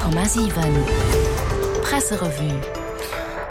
100,7 Presserevue.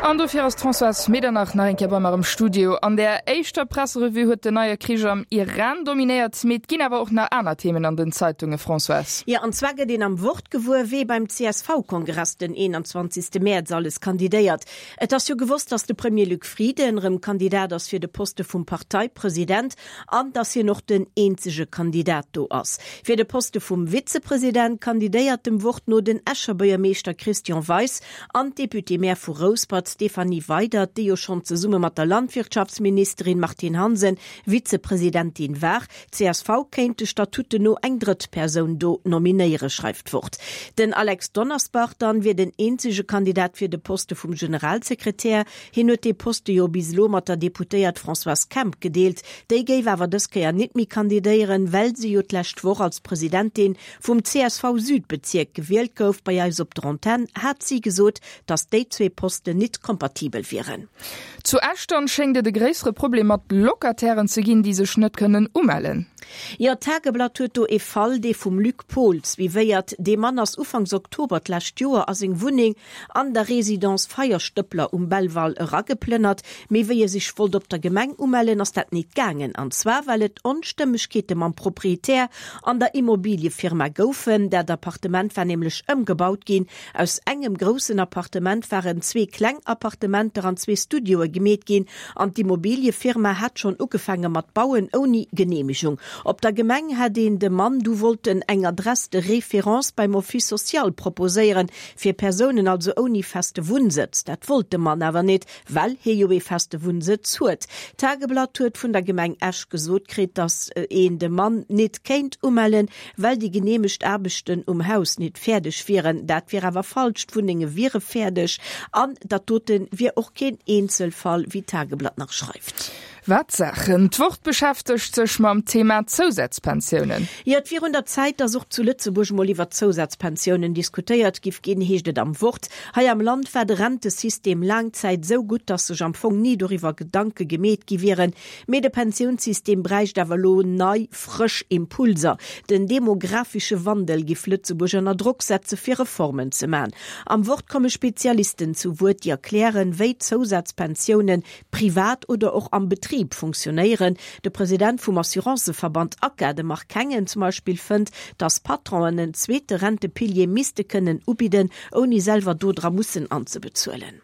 An dofir ass d'Françoise Medernach nach eng Kéier bei mer am Studio. An der éischter Presserevue huet den neie Krich am Iran dominéiert, mee et ginn awer och nach aner Themen an den Zeitunge, Françoise. Jo, an zwar gëtt een am Wort gewuer, wee beim CSV-Kongress den 21. Mäerz alles kandidéiert. Et ass jo gewosst, datt de Premier Luc Frieden erëm Kandidat ass fir de Poste vum Parteipresident an datt hien och den eenzege Kandidat do ass. Fir de Poste vum Vizepresident kandidéiert dem Wort no den Escher Buergermeeschter Christian Weis an d'Députée-maire vu Rouspert Stéphanie Weydert, déi jo schonn zesumme mat der Landwirtschaftsministerin Martine Hansen Vizepresidentin war. Csv kéint de Statuten no eng drëtt Persoun do nominéieren, schreift d'Wort. Den Alex Donnersbach dann wier den eenzege Kandidat fir de Poste vum Generalsekretär. Hien huet dee Poste jo bis elo mat der Deputéiert Françoise Kemp gedeelt. Déi géif awer dës Kéier nit méi kandidéieren, well se jo d'lescht Woch als Presidentin vum CSV-Südbezierk gewielt gouf. Bei eis op der Antenn hat si gesot, datt déi zwee Posten nit kompatibel wieren. Zu Esch dann schéngt et e gréissere Problem mat Locatairen ze ginn, déi sech net kënnen umellen. Jo, d'Tageblatt huet do ee Fall, dee vum Luc Pohl suivéiert. Dee Mann ass ufanks Oktober d'lescht Joer a seng Wunneng an der Résidence Feierstëppler um Belval erageplënnert. Mee wéi e sech wollt op der Gemeng umellen, ass dat nit gaangen. An zwar well et Onstëmmegkeete mam Proprietär an der Immobiliefirma goufen. Dat Appartement war nämlech ëmgebaut ginn. Aus engem groussen Appartement waren zwee kleng Appartementer an zwee Studioe gemeet ginn an d'Immobiliefirma hat schonn ugefaange mat bauen, ouni Geneemegung. Op der Gemeng hätt een dem Mann du wollten eng Adresse de référence beim Office social proposéieren, Fir Persounen also ouni feste Wunnsëtz. Dat wollt de Mann awer nit, well hie jo ee feste Wunnsëtz huet. D'Tageblatt huet vun der Gemeng Esch gesot kritt, datt een de Mann nit kéint umellen, well déi geneemegt Aarbechten um Haus nit fäerdeg wieren. Dat wier awer falsch, d'Wunnenge wiere fäerdeg an dat dote wier och keen Eenzelfall, wéi d'Tageblatt nach schreift. Wat Saachen! D'Wort beschäftegt sech mam Thema Zousazpensiounen. Jo, et wier un der Zäit, datt och zu Lëtzebuerg mol iwwer d'Zousazpensiounen diskutéiert giff ginn, heescht et am Wort. Hei am Land war de Rentesystem laang Zäit esou gutt, datt sech am Fong ni doriwwer Gedanke gemeet gi wieren. Mee de Pensiounssystem bräicht awer elo nei, frësch Impulser. Den demografesche Wandel giff Lëtzebuerg ënner Drock setze fir Reformen ze man. Am Wort komme Spezialisten zu Wuert, déi erklären, wéi d'Zousazpensiounen privat oder och am Betrib funktionéieren. De President vum Assuranceverband ACA, de Marc Hengen zum Beispill, fënnt, datt Patronen en zweete Rentepilier misste kënnen ubidden, ouni selwer do dra mussen anzebezuelen.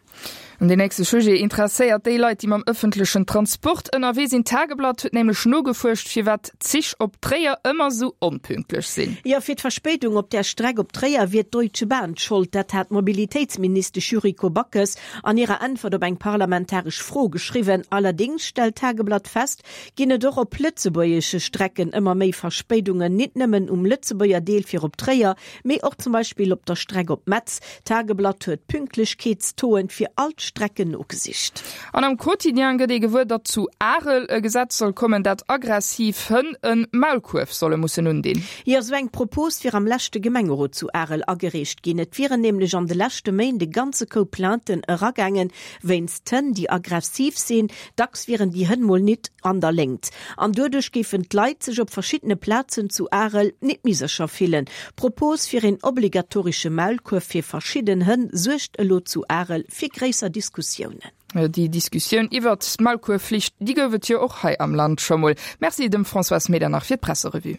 An deen nächste Sujet interesséiert déi Leit, déi mam ëffentlechen Transport ënnerwee sinn. D'Tageblatt huet nämlech nogefuerscht, firwat d'Zich op Tréier ëmmer sou onpünktlech sinn. Jo, fir d'Verspéidung op där Streck op Tréier wier d'Deutsche Bahn d'Schold. Dat hat d'Mobilitéitsministesch Yuriko Backes an hirer Äntwert op eng parlamentaresch Fro geschriwwen. Allerdéngs stellt d'Tageblatt fest, ginn et och op lëtzebuergesche Strecken ëmmer méi Verspéidungen, nit nëmmen um Lëtzebuerger Deel fir op Tréier, mee och zum Beispill op der Streck op Metz. D'Tageblatt huet d'Pünktlechkeetstoen fir all d'Strecken nogesicht. An am Quotidien gëtt ee gewuer, datt zu Arel e Gesetz soll kommen, dat aggressiv Hënn e Maulkuerf solle mussen undinn. Jo, esou eng Propos wier am leschte Gemengerot zu Arel agereecht ginn. Et wieren nämlech an de leschte Méint e ganze Koup Plainten eragaangen, wéinst Hënn, déi aggressiv sinn. Dacks wieren déi Hënn mol nit an der Léngt an doduerch géifen d'Leit sech op verschiddene Plazen zu Arel nit méi sécher fillen. D'Propos fir een obligatorische Maulkuerf fir verschidden Hënn suergt elo zu Arel fir gréisser Diskussiounen. Déi Diskussioun iwwert d'Maulkuerfflicht, déi gouf et jo och hei am Land scho mol. Merci dem Françoise Medernach fir d'Presserevue.